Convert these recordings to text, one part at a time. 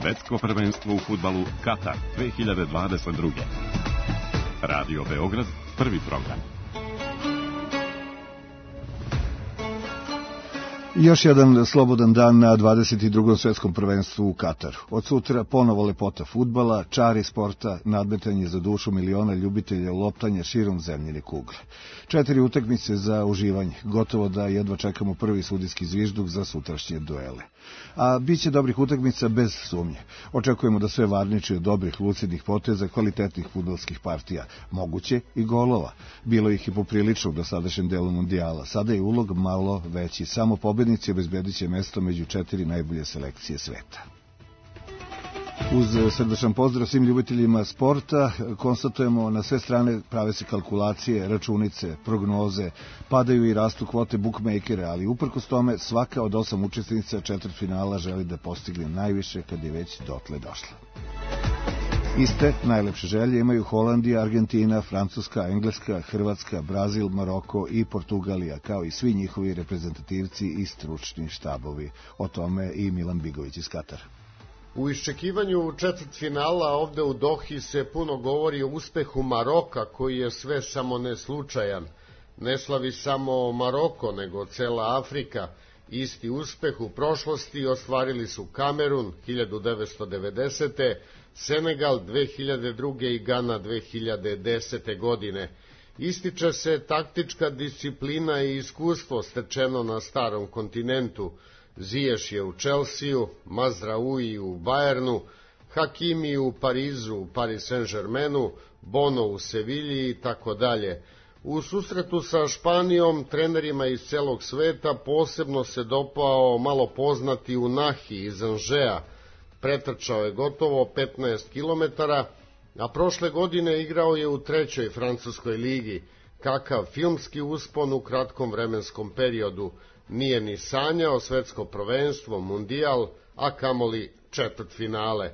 Svetsko prvenstvo u fudbalu Katar 2022. Radio Beograd, prvi program. Još jedan slobodan dan na 22. svetskom prvenstvu u Kataru. Od sutra ponovo lepota fudbala, čari sporta, nadmetanje za dušu miliona ljubitelja loptanja širom zemljine kugle. 4 utakmice za uživanje, gotovo da jedva čekamo prvi sudijski zvižduk za sutrašnje duele. A bit će dobrih utakmica bez sumnje. Očekujemo da sve varniči od dobrih, lucidnih poteza, kvalitetnih fudbalskih partija, moguće i golova. Bilo ih i poprilično u dosadašnjem delu mundijala. Sada je ulog malo veći, samo pobednici obezbedit će mesto među 4 najbolje selekcije sveta. Uz srdačan pozdrav svim ljubiteljima sporta, konstatujemo na sve strane prave se kalkulacije, računice, prognoze, padaju i rastu kvote bukmejkera, ali uprkos tome svaka od 8 učesnica četvrtfinala želi da postigne najviše kad je već dotle došla. Iste najlepše želje imaju Holandija, Argentina, Francuska, Engleska, Hrvatska, Brazil, Maroko i Portugalija, kao i svi njihovi reprezentativci i stručni štabovi. O tome i Milan Bigović iz Katara. U iščekivanju četvrtfinala ovde u Dohi se puno govori o uspehu Maroka, koji je sve samo ne slučajan. Ne slavi samo Maroko, nego cela Afrika. Isti uspeh u prošlosti ostvarili su Kamerun 1990. Senegal 2002. i Gana 2010. godine. Ističe se taktička disciplina i iskustvo stečeno na starom kontinentu. Ziješ je u Čelsiju, Mazraoui u Bajernu, Hakimi u Parizu, u Paris Saint-Germainu, Bono u Sevilji i tako dalje. U susretu sa Španijom, trenerima iz celog sveta, posebno se dopao malo poznati Unahi iz Anžea. Pretrčao je gotovo 15 km, a prošle godine igrao je u 3. francuskoj ligi. Kakav filmski uspon u kratkom vremenskom periodu. Nije ni sanjao svetsko prvenstvo, mundijal, a kamoli četvrtfinale.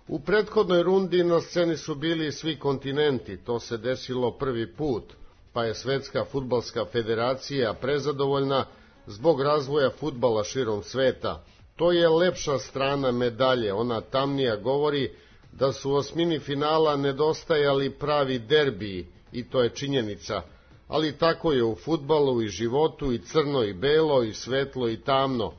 U prethodnoj rundi na sceni su bili svi kontinenti, to se desilo prvi put, pa je Svetska fudbalska federacija prezadovoljna zbog razvoja fudbala širom sveta. To je lepša strana medalje, ona tamnija govori da su u osmini finala nedostajali pravi derbiji, i to je činjenica. Ali tako je u fudbalu i životu, i crno i belo, i svetlo i tamno.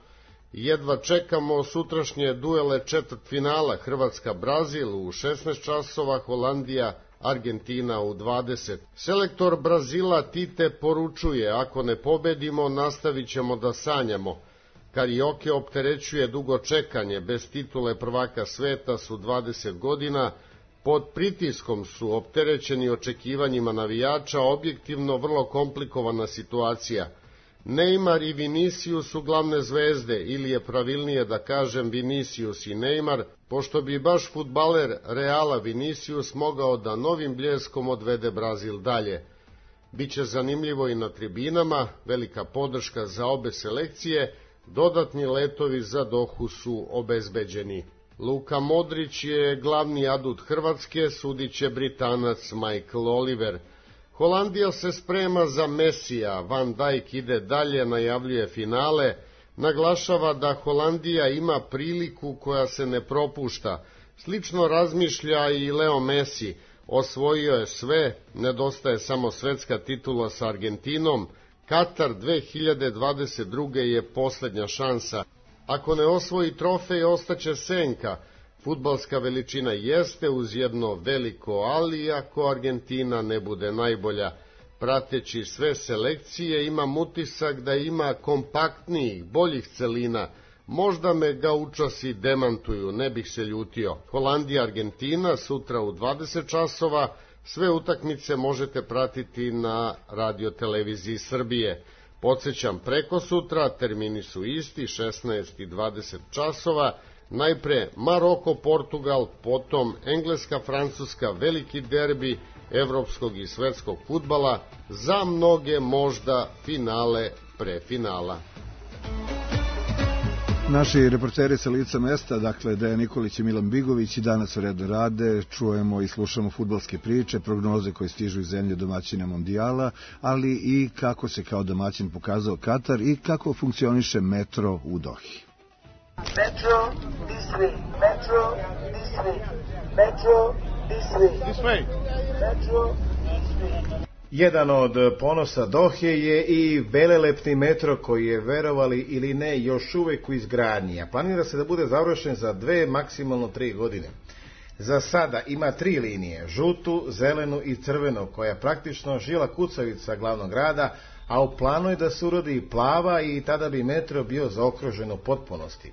Jedva čekamo sutrašnje duele četvrtfinala, Hrvatska-Brazil u 16 časova, Holandija-Argentina u 20. Selektor Brazila Tite poručuje, ako ne pobedimo, nastavit ćemo da sanjamo. Karioke opterećuje dugo čekanje, bez titule prvaka sveta su 20 godina, pod pritiskom su opterećeni očekivanjima navijača, objektivno vrlo komplikovana situacija. Neymar i Vinicius su glavne zvezde, ili je pravilnije da kažem Vinicius i Neymar, pošto bi baš fudbaler Reala Vinicius mogao da novim bljeskom odvede Brazil dalje. Biće zanimljivo i na tribinama, velika podrška za obe selekcije, dodatni letovi za Dohu su obezbeđeni. Luka Modrić je glavni adut Hrvatske, sudit će Britanac Michael Oliver. Holandija se sprema za Mesija, Van Dijk ide dalje, najavljuje finale, naglašava da Holandija ima priliku koja se ne propušta. Slično razmišlja i Leo Messi, osvojio je sve, nedostaje samo svetska titula sa Argentinom, Katar 2022. je poslednja šansa. Ako ne osvoji trofej, ostaće senka. Fudbalska veličina jeste uz jedno veliko ali, ako Argentina ne bude najbolja. Prateći sve selekcije imam utisak da ima kompaktnijih, boljih celina. Možda me gaučasi demantuju, ne bih se ljutio. Holandija-Argentina sutra u 20 časova. Sve utakmice možete pratiti na radioteleviziji Srbije. Podsećam, preko sutra termini su isti, 16 i 20 časova. Najpre Maroko-Portugal, potom Engleska-Francuska, veliki derbi evropskog i svetskog fudbala, za mnoge možda finale pre finala. Naši reporteri sa lica mesta, dakle Dejan Nikolić i Milan Bigović, i danas u redu rade, čujemo i slušamo fudbalske priče, prognoze koje stižu iz zemlje domaćina mondijala, ali i kako se kao domaćin pokazao Katar i kako funkcioniše metro u Dohi. Metro this way. Metro this way. Metro this way. This way. Metro this way. Jedan od ponosa Dohe je i velelepni metro koji je, verovali ili ne, još uvek u izgradnji, a planira se da bude završen za 2, maksimalno 3 godine. Za sada ima 3 linije, žutu, zelenu i crvenu, koja je praktično žila kucavica glavnog grada, a u planu je da se urodi i plava i tada bi metro bio zaokružen u potpunosti.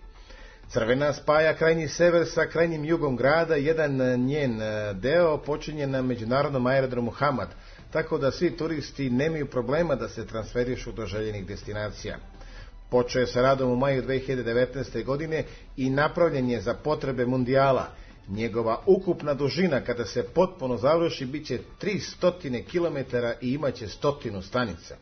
Crvena spaja krajnji sever sa krajnjim jugom grada, jedan njen deo počinje na međunarodnom aerodromu Hamad, tako da svi turisti nemaju problema da se transferišu do željenih destinacija. Počeo je sa radom u maju 2019. godine i napravljen je za potrebe mundijala. Njegova ukupna dužina kada se potpuno završi biće 300 km i imaće 100 stanica.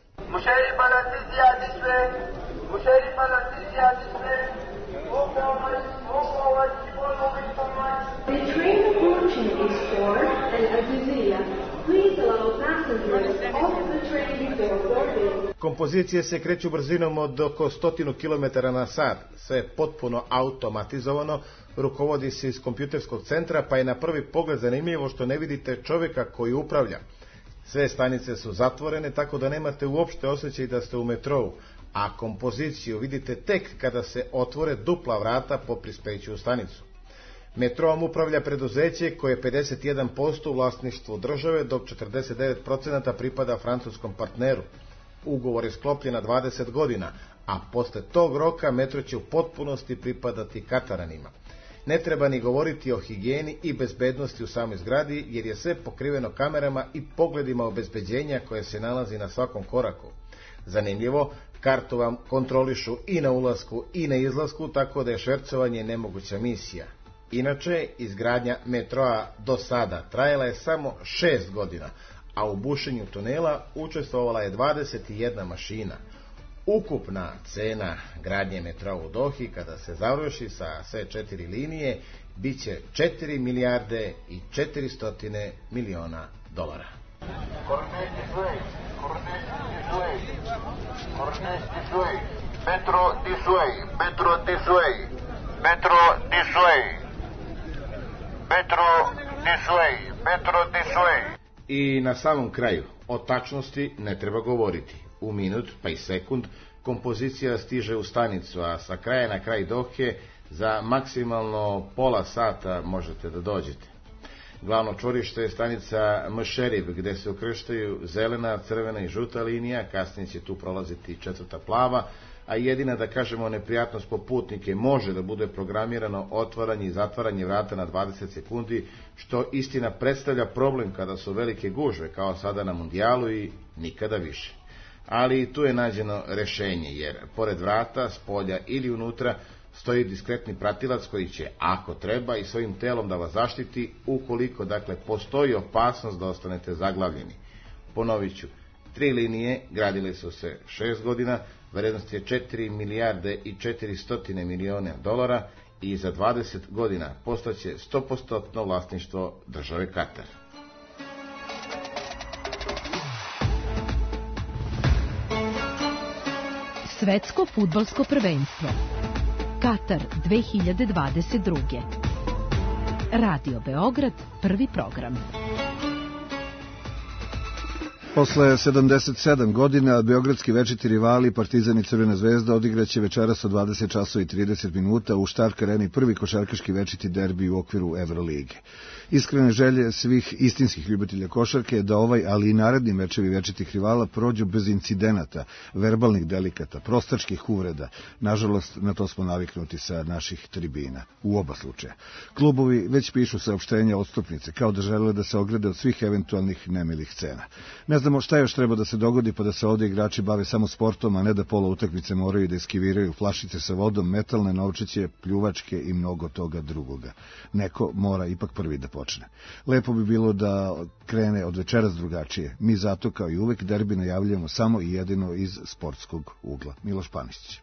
The train approaching is for Al-Aziziyah. Please allow passengers off the train before boarding. Kompozicije se kreću brzinom od oko 100 km na sat, sve je potpuno automatizovano, rukovodi se iz kompjuterskog centra, pa je na prvi pogled zanimljivo što ne vidite čovjeka koji upravlja. Sve stanice su zatvorene, tako da nemate uopšte osjećaj da ste u metrou, a kompoziciju vidite tek kada se otvore dupla vrata po prispeću u stanicu. Metroom upravlja preduzeće koje je 51% u vlasništvu države, dok 49% pripada francuskom partneru. Ugovor je sklopljen na 20 godina, a posle tog roka metro će u potpunosti pripadati Kataranima. Ne treba ni govoriti o higijeni i bezbednosti u samoj zgradi, jer je sve pokriveno kamerama i pogledima obezbeđenja koje se nalazi na svakom koraku. Zanimljivo, kartu vam kontrolišu i na ulasku i na izlasku, tako da je švercovanje nemoguća misija. Inače, izgradnja metroa do sada trajala je samo 6 godina, a u bušenju tunela učestvovala je 21 mašina. Ukupna cena gradnje metroa u Dohi, kada se završi sa sve 4 linije, bit će 4 milijarde i 400 miliona dolara. Metro this way. Metro this way. Metro this way. Metro this way. Metro this way. I na samom kraju, o tačnosti ne treba govoriti. U minut, pa i sekund, kompozicija stiže u stanicu, a sa kraja na kraj Dohe za maksimalno pola sata možete da dođete. Glavno čvorište je stanica Mšerif, gde se ukrštaju zelena, crvena i žuta linija, kasnije će tu prolaziti 4. plava, a jedina, da kažemo, neprijatnost po putnike može da bude programirano otvaranje i zatvaranje vrata na 20 sekundi, što istina predstavlja problem kada su velike gužve, kao sada na mundijalu, i nikada više. Ali tu je nađeno rešenje, jer pored vrata, s polja ili unutra, stoji diskretni pratilac koji će, ako treba, i svojim telom da vas zaštiti, ukoliko, dakle, postoji opasnost da ostanete zaglavljeni. Ponovit ću, 3 linije gradile su se 6 godina, vrednost je 4 milijarde i 400 miliona dolara i za 20 godina postaće 100% vlasništvo države Katar. Svetsko fudbalsko prvenstvo Katar 2022. Radio Beograd, prvi program. Posle 77 godina beogradski večiti rivali Partizan i Crvena zvezda odigraće večeras od 20 časova i 30 minuta u Štark areni prvi košarkaški večiti derbi u okviru Evrolige. Iskrene želje svih istinskih ljubitelja košarke je da ovaj, ali i naredni mečevi večitih rivala prođu bez incidenata, verbalnih delikata, prostačkih uvreda. Nažalost, na to smo naviknuti sa naših tribina, u oba slučaja. Klubovi već pišu saopštenja odstupnice, kao da žele da se ograde od svih eventualnih nemilih scena. Ne znamo šta još treba da se dogodi pa da se ovdje igrači bave samo sportom, a ne da pola utakmice moraju da eskiviraju flašice sa vodom, metalne novčiće, pljuvačke i mnogo toga drugoga. Neko mora ipak prvi da počne. Lepo bi bilo da krene od večeras drugačije. Mi zato, kao i uvek, derbi najavljamo samo i jedino iz sportskog ugla. Miloš Panišić.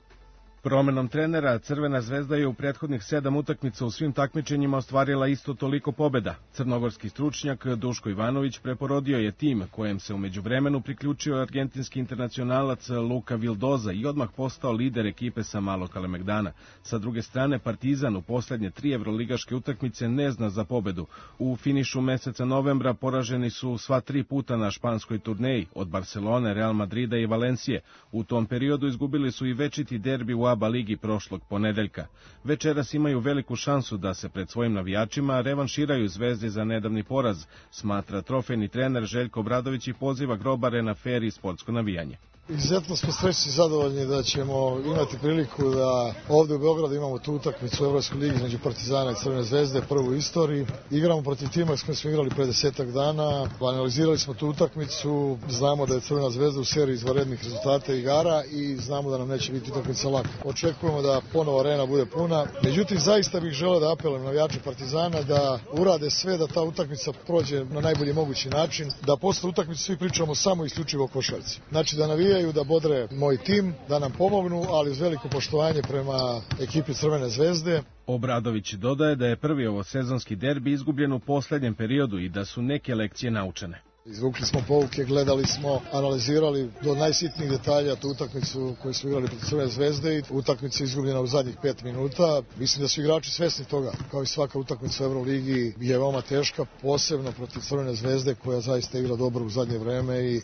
Promenom trenera, Crvena zvezda je u prethodnih 7 utakmica u svim takmičenjima ostvarila isto toliko pobjeda. Crnogorski stručnjak Duško Ivanović preporodio je tim kojem se u međuvremenu priključio argentinski internacionalac Luka Vildoza i odmah postao lider ekipe sa Malog Kalemegdana. Sa druge strane, Partizan u posljednje 3 evroligaške utakmice ne zna za pobjedu. U finišu meseca novembra poraženi su sva 3 puta na španskoj turneji od Barcelone, Real Madrida i Valencije. U tom periodu izgubili su i večiti derbi u ABA ligi prošlog ponedeljka. Večeras imaju veliku šansu da se pred svojim navijačima revanširaju Zvezdi za nedavni poraz, smatra trofejni trener Željko Obradović i poziva grobare na fer i sportsko navijanje. Izuzetno smo srećni i zadovoljni da ćemo imati priliku da ovdje u Beogradu imamo tu utakmicu u Evropskoj ligi između Partizana i Crvene zvezde, prvu u istoriji. Igramo protiv tima s kojim smo igrali pre 10 dana, analizirali smo tu utakmicu, znamo da je Crvena zvezda u seriji izvanrednih rezultata i igara i znamo da nam neće biti utakmica laka. Očekujemo da ponovo arena bude puna, međutim zaista bih želeo da apelujem na navijače Partizana da urade sve da ta utakmica prođe na najbolji mogući način, da posle utakmice svi pričamo samo isključivo o košarci. Znači da navijaju, da bodre moj tim, da nam pomognu, ali uz veliko poštovanje prema ekipi Crvene zvezde. Obradović dodaje da je prvi ovosezonski derbi izgubljen u posljednjem periodu i da su neke lekcije naučene. Izvukli smo pouke, gledali smo, analizirali do najsitnijih detalja tu utakmicu koju smo igrali protiv Crvene zvezde i utakmica izgubljena u zadnjih 5 minuta. Mislim da su igrači svesni toga, kao i svaka utakmica u Euroligi je veoma teška, posebno protiv Crvene zvezde koja zaista igra dobro u zadnje vreme i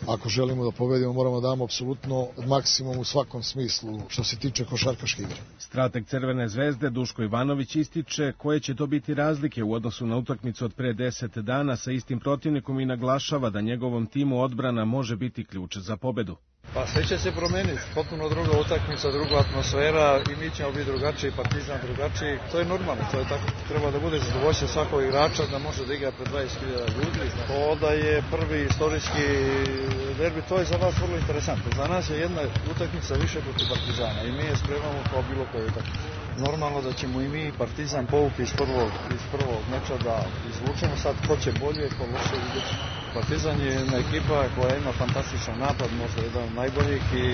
ako želimo da pobedimo moramo da damo apsolutno maksimum u svakom smislu što se tiče košarkaške igre. Strateg Crvene zvezde Duško Ivanović ističe koje će to biti razlike u odnosu na utakmicu od pre 10 dana sa istim protivnikom i naglašava da njegovom timu odbrana može biti ključ za pobedu. Pa sve će se promeniti, potpuno druga utakmica, druga atmosfera i mi ćemo biti drugačiji, Partizan drugačiji. To je normalno, to je tako. Treba da bude zadovoljstvo svakog igrača da može da igra pred 20.000 ljudi. To da je prvi istorijski derbi, to je za vas vrlo interesantno. Za nas je jedna utakmica više protiv Partizana i mi je spremamo kao bilo koju utakmicu. Normalno da ćemo i mi Partizan povuki iz prvog meča da izvučemo, sad ko će bolje, ko loše vidjeti. Partizan je jedna ekipa koja ima fantastičan napad, možda jedan od najboljih i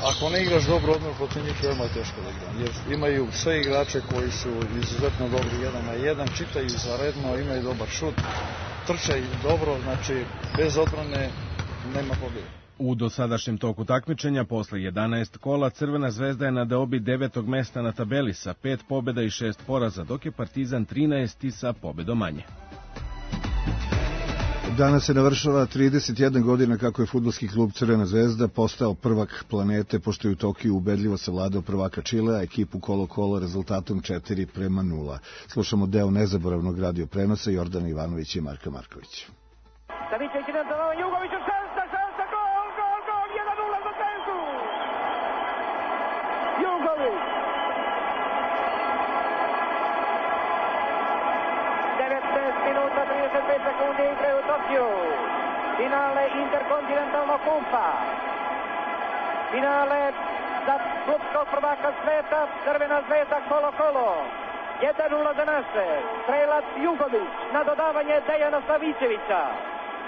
ako ne igraš dobro odmah protiv njih veoma je teško da igra. Jer imaju sve igrače koji su izuzetno dobri 1 na 1, čitaju zaredno, imaju dobar šut, trče dobro, znači bez odbrane nema pobjede. U dosadašnjem toku takmičenja, posle 11 kola, Crvena zvezda je na deobi 9. mesta na tabeli sa 5 pobjeda i 6 poraza, dok je Partizan 13. sa pobjedom manje. Danas se navršava 31 godina kako je fudbalski klub Crvena zvezda postao prvak planete, pošto je u Tokiju ubedljivo savladao prvaka Čilea, ekipu Kolo-Kolo rezultatom 4:0. Slušamo deo nezaboravnog radio prenosa Jordana Ivanovića i Marka Markovića. Savićević ide za Jugoviću, šansa, gol, 1:0 za Zvezdu! Jugović! 19 minuta 35 sekundi igre u Tokiju. Finale interkontinentalnog kumpa. Finale za klubskog prvaka sveta, Crvena zvezda Kolo-Kolo. 1:0 za naše. Strelac Jugović na dodavanje Dejana Savićevića.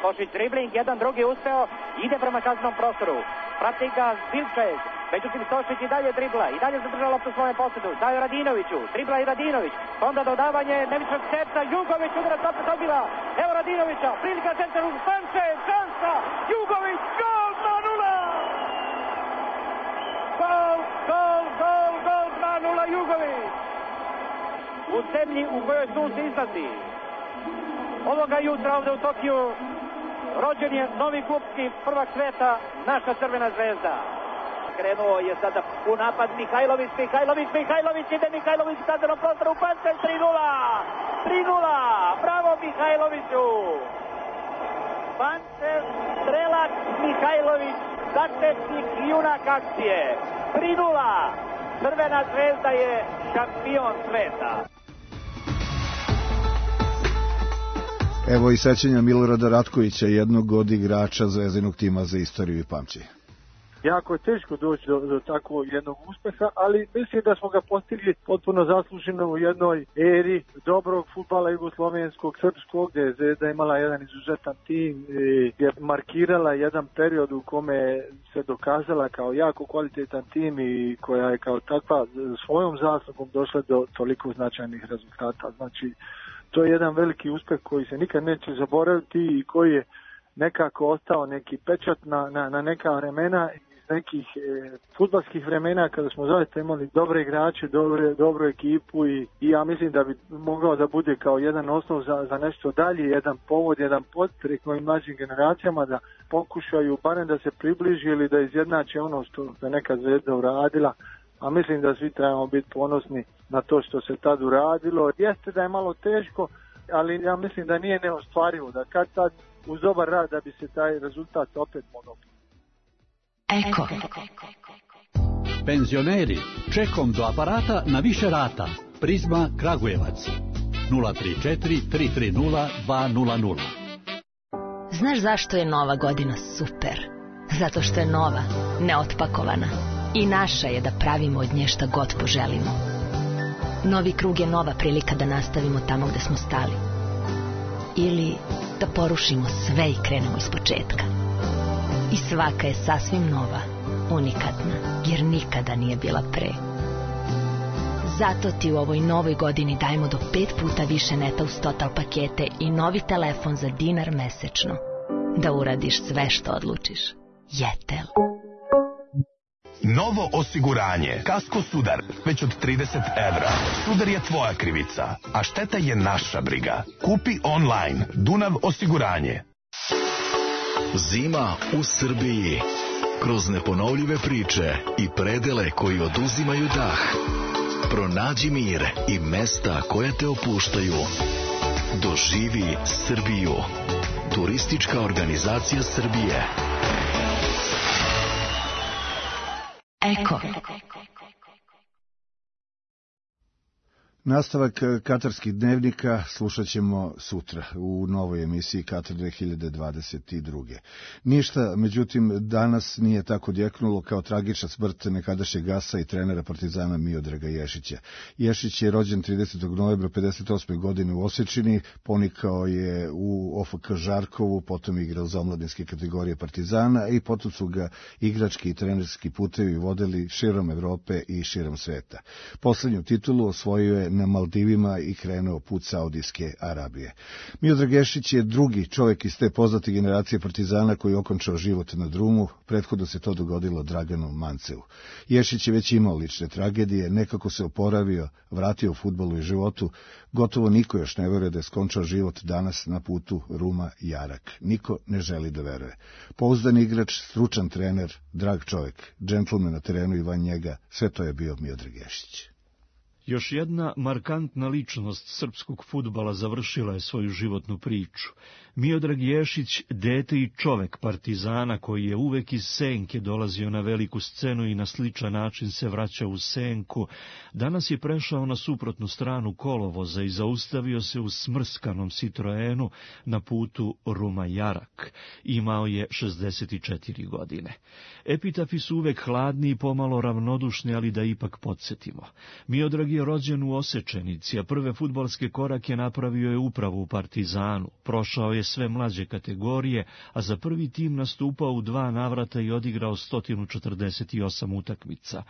Košić dribling, jedan drugi uspeo, ide prema kaznenom prostoru. Prati ga Zilčez, međutim Stošić i dalje dribla, i dalje zadržava loptu u svojem posjedu. Daje Radinoviću, dribla i Radinović, onda dodavanje nevičnog seta, Jugović udarac opet odbila. Evo Radinovića, prilika centru, Sanchez, šansa, Jugović, gol 2:0! Gol 2:0 Jugović! U zemlji u kojoj sunce izlazi. Ovoga jutra ovdje u Tokiju rođen je novi klubski prvak sveta, naša Crvena zvezda. Krenuo je sada u napad Mihajlović, ide Mihajlović u kaznenom prostoru, Pančev 3:0, bravo Mihajloviću. Pančev, strelac Mihajlović, začetnik i junak akcije, 3:0, Crvena zvezda je šampion sveta. Evo i sećanja Milorada Ratkovića, jednog od igrača zvezdinog tima za istoriju i pamćenje. jako je teško doći do takvog jednog uspeha, ali mislim da smo ga postigli potpuno zasluženo u jednoj eri dobrog fudbala jugoslovenskog, srpskog, gdje je Zvezda imala jedan izuzetan tim i je markirala jedan period u kome se dokazala kao jako kvalitetan tim i koja je kao takva svojom zaslugom došla do toliko značajnih rezultata. Znači, to je jedan veliki uspeh koji se nikad neće zaboraviti i koji je nekako ostao neki pečat na neka vremena, iz nekih fudbalskih vremena kada smo zaista imali dobre igrače, dobru ekipu i ja mislim da bi mogao da bude kao jedan osnov za nešto dalje, jedan povod, jedan podstrek novim mlađim generacijama da pokušaju barem da se približi ili da izjednače ono što je neka Zvezda uradila. A mislim da svi trebamo biti ponosni na to što se tad uradilo. Jeste da je malo teško, ali ja mislim da nije neostvarivo, da kad tad uz dobar rad da bi se taj rezultat opet mogao. Eko. Penzioneri, čekom do aparata na više rata. Prizma Kragujevac. 034 330 200. Znaš zašto je Nova godina super? Zato što je nova, neotpakovana. I naša je da pravimo od nje šta god poželimo. Novi krug je nova prilika da nastavimo tamo gde smo stali. Ili da porušimo sve i krenemo iz početka. I svaka je sasvim nova, unikatna, jer nikada nije bila pre. Zato ti u ovoj novoj godini dajemo do 5 puta više neta uz Total pakete i novi telefon za dinar mesečno. Da uradiš sve što odlučiš. Jetel. Novo osiguranje. Kasko Sudar. Već od 30 evra. Sudar je tvoja krivica, a šteta je naša briga. Kupi online. Dunav osiguranje. Zima u Srbiji. Kroz neponovljive priče i predele koji oduzimaju dah. Pronađi mir i mesta koja te opuštaju. Doživi Srbiju. Turistička organizacija Srbije. Eko. Nastavak katarskih dnevnika slušat ćemo sutra u novoj emisiji Katar 2022. Ništa, međutim, danas nije tako djeknulo kao tragična smrt nekadašnjeg gasa i trenera Partizana Miodraga Ješića. Ješić je rođen 30. novembra 58. godine u Osečini, ponikao je u OFK Žarkovu, potom igrao za omladinske kategorije Partizana i potom su ga igrački i trenerski putevi vodili širom Evrope i širom sveta. Poslednju titulu osvojio je na Maldivima i krenuo put Saudijske Arabije. Miodrag Ješić je drugi čovjek iz te poznate generacije Partizana koji je okončao život na drumu, prethodno se to dogodilo Draganu Manceu. Ješić je već imao lične tragedije, nekako se oporavio, vratio u fudbalu i životu, gotovo niko još ne veruje da je skončao život danas na putu Ruma-Jarak. Niko ne želi da veruje. Pouzdan igrač, stručan trener, drag čovjek, džentlmen na terenu i van njega, sve to je bio Miodrag Ješić. Još jedna markantna ličnost srpskog fudbala završila je svoju životnu priču. Miodrag Ješić, dete i čovek Partizana koji je uvek iz senke dolazio na veliku scenu i na sličan način se vraćao u senku, danas je prešao na suprotnu stranu kolovoza i zaustavio se u smrskanom Citroenu na putu Ruma-Jarak. Imao je 64 godine. Epitafi su uvek hladni i pomalo ravnodušni, ali da ipak podsjetimo. Miodrag je rođen u Osečenici, a prve fudbalske korake napravio je upravo u Partizanu. Prošao je sve mlađe kategorije, a za prvi tim nastupao u 2 navrata i odigrao 148 utakmica.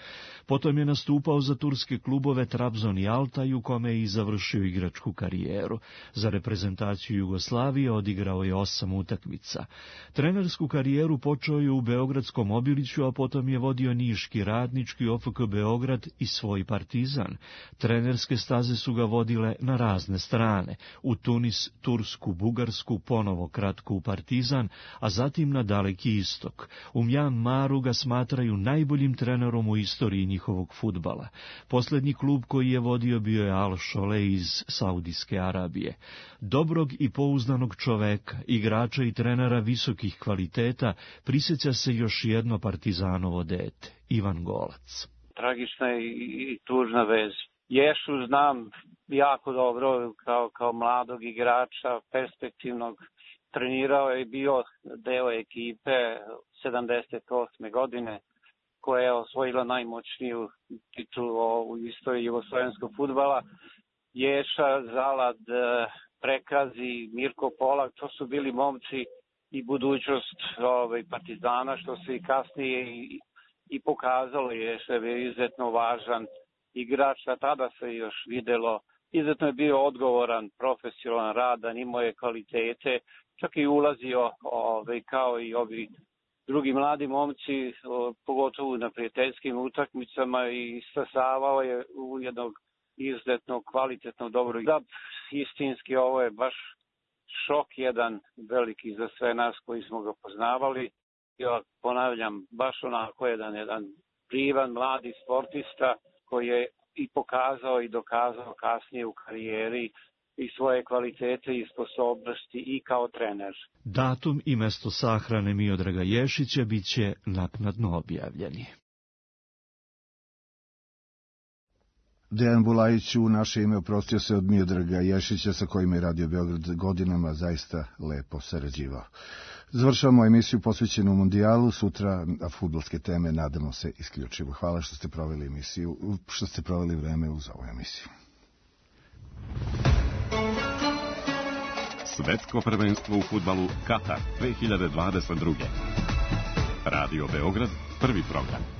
Potom je nastupao za turske klubove Trabzon i Altaj, u kome je i završio igračku karijeru. Za reprezentaciju Jugoslavije odigrao je 8 utakmica. Trenersku karijeru počeo je u Beogradskom Obiliću, a potom je vodio Niški Radnički, OFK Beograd i svoj Partizan. Trenerske staze su ga vodile na razne strane, u Tunis, Tursku, Bugarsku, ponovo kratko u Partizan, a zatim na Daleki istok. U Mjanmaru ga smatraju najboljim trenerom u istoriji njihovog fudbala. Posljednji klub koji je vodio bio je Al Šole iz Saudijske Arabije. Dobrog i pouzdanog čoveka, igrača i trenera visokih kvaliteta, prisjeća se još jedno Partizanovo dete, Ivan Golac. Tragična i tužna vez. Ješu znam jako dobro kao mladog igrača, perspektivnog. Trenirao je i bio deo ekipe 78. godine, koja je osvojila najmoćniju titulu u istoriji jugoslovenskog fudbala. Ješa, Zalad, Prekazi, Mirko Polak, to su bili momci i budućnost Partizana, što se i kasnije i pokazalo. Ješa je bio izuzetno važan igrač, a tada se još videlo. Izuzetno je bio odgovoran, profesionalan, radan, imao je kvalitete, čak i ulazio kao i ovi drugi mladi momci, pogotovo na prijateljskim utakmicama, i stasavao je u jednog izuzetno kvalitetno dobro. Da, istinski ovo je baš šok jedan veliki za sve nas koji smo ga poznavali. Ja ponavljam, baš onako jedan privan mladi sportista koji je i pokazao i dokazao kasnije u karijeri i svoje kvalitete i sposobnosti i kao trener. Datum i mesto sahrane Miodraga Ješića biće naknadno objavljeni. Dejan Bulajić u naše ime oprostio se od Miodraga Ješića, sa kojim je Radio Beograd godinama zaista lepo sarađivao. Završavamo emisiju posvećenu mundijalu, sutra fudbalske teme, nadamo se isključivo. Hvala što ste proveli vreme uz ovu emisiju. Svetsko prvenstvo u fudbalu Katar 2022. Radio Beograd, prvi program.